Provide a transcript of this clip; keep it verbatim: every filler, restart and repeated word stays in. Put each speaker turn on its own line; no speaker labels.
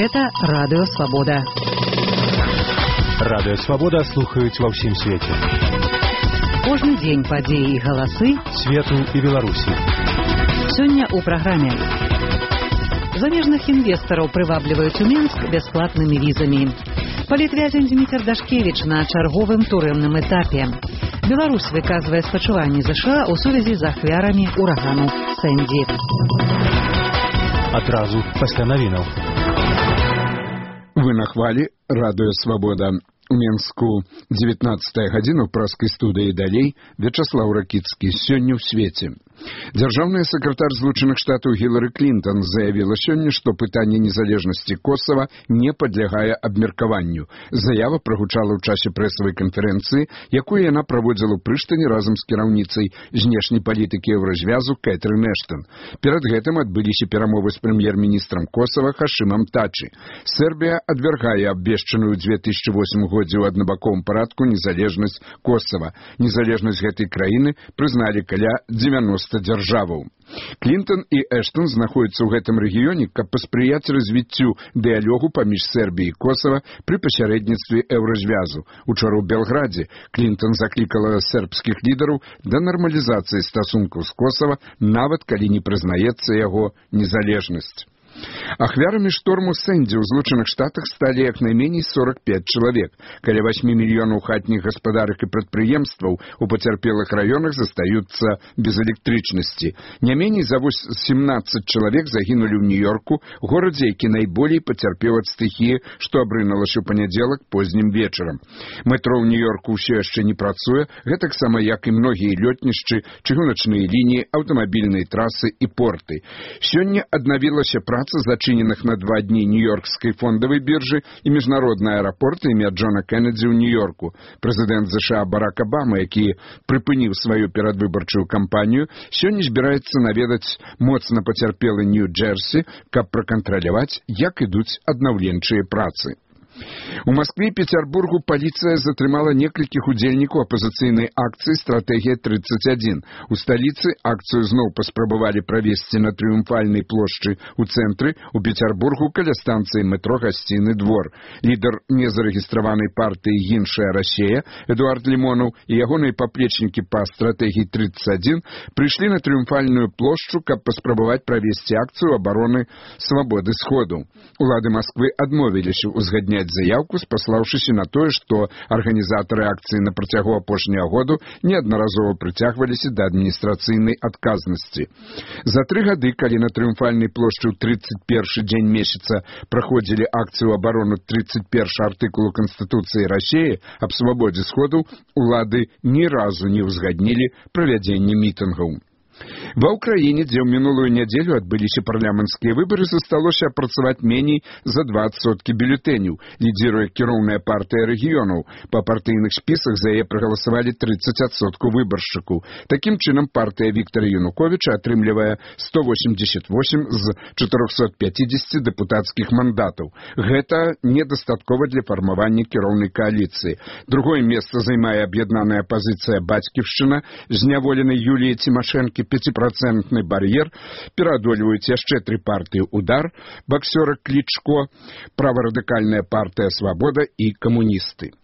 Гэта Радыё Свабода.
Радыё Свабода слухаюць ва ўсім свеце.
Кожны дзень падзеі і галасы
свету і Беларусі.
Сёння ў праграме. Замежных інвестараў прывабліваюць у Мінск бясплатнымі візамі. Палітвязень Дмітр Дашкевіч на чарговым турэмным этапе. Беларусь выказвае спачуванні ЗША ў сувязі з ахвярамі урагану Сэнді.
Адразу пасля навінаў.
Вы на хвалі Радыё Свабода. У Мінску дзевятнаццатая гадзіна ў праскай студыі далей Вячаслаў Ракіцкі. Сёння ў свеце. Дзяржаўная сакратар Злучаных Штатаў Гілары Клінтон заявіла сёння, што пытанне незалежнасці Косава не падлягае абмеркаванню. Заява прагучала ў часе прэсавай канферэнцыі, якую яна праводзіла ў Прыштане разам з кіраўніцай знешняй палітыкі еўразвязу Кэтрын Эштон. Перад гэтым адбыліся перамовы з прэм'ер-міністрам Косава Хашымам Тачы. Сербія адвяргае абвешчаную ў две тысячы восьмым годзе ў аднабаковым парадку незалежнасць Косава. Незалежнасць гэтай краіны прызналі каля дзевяноста дзяржаваў. Клінтон і Эштон знаходзяцца ў гэтым рэгіёне, каб паспрыяць развіццю дыялогу паміж Сербіяй і Косава пры пасярэдніцтве еўразвязу. Учора ў Белградзе Клінтон заклікала сербскіх лідараў да нармалізацыі стасункаў з Косава, нават калі не прызнаецца яго незалежнасць. Ахвярамі шторму Сэнді ў Злучаных Штатах сталі як найменей сорок пяць чалавек. Каля восьмі мільёнаў хатніх гаспадарак і прадпрыемстваў у пацярпелых раёнах застаюцца без электрычнасці. Не меней за сямнаццаць чалавек загінулі ў Нью-Йорку, горадзе, які найболей пацярпеў ад стыхіі, што абрынулася ў панядзелак познім вечарам. Метро ў Нью-Йорку ўсё яшчэ не працуе, гэтаксама як і многія лётнішчы, чыгуначныя лініі, аўтамабільныя трасы і порты. Сёння аднавілася праца зачыненых на два дні Нью-Йоркскай фондавай біржы і міжнародны аэрапорт імя Джона Кеннеді ў Нью-Йорку. Прэзідэнт ЗША Барак Абама, які прыпыніў сваю перадвыбарчую кампанію, сёння збіраецца наведаць моцна пацярпелы Нью-Джерсі, каб пракантраляваць, як ідуць аднаўленчыя працы. У Маскве і Петербургу паліцыя затрымала некалькіх удзельнікаў апазіцыйнай акцыі «Стратэгія тридцать один». У сталіцы акцыю зноў паспрабавалі правесці на Трыумфальнай плошчы ў цэнтры, у Петербургу каля станцыі метро «Гасцінны двор». Лідар незарэгістраванай партыі «Іншая Расія» Эдуард Лімонаў і ягоныя паплечнікі па «Стратэгіі тридцать один» прыйшлі на Трыумфальную плошчу, каб паспрабаваць правесці акцыю абароны свабоды сходу. Улады Масквы адмовіліся узгадняць заявку, спаслаўшыся на тое, што арганізатары акцыі на працягу апошняга году неаднаразова прыцягваліся да адміністрацыйнай адказнасці. За тры гады, калі на Трыумфальнай плошчы ў тридцать першы дзень месяца праходзілі акцыю абарону тридцать першы артыкулу Канстытуцыі Расіі аб свабодзе сходу, улады ні разу не ўзгаднілі правядзенне мітынгаў. Ва ўкраіне, дзе ў мінулую нядзелю адбыліся парламенцкія выбары, засталося апрацаваць меней за два адсоткі бюлетэняў. Лідзіруе кіроўная партыя рэгіёнаў. Па партыйных спісах за яе прагаласавалі тридцать адсоткаў выбаршчыкаў. Такім чынам, партыя Віктара Януковіча атрымлівае сто восемьдесят восемь з чатырохсот пяцідзесяці дэпутацкіх мандатаў. Гэта недастаткова для фармавання кіроўнай кааліцыі. Другое месца займае аб'яднаная апазіцыя «Бацьківшчына», зняволенай Юліяй Цімашэнкі пяціпрацэнтны бар'ер, пераадольваюць яшчэ тры партыі «Удар», баксёра Клічко, праварадыкальная партыя «Свабода» і камуністы.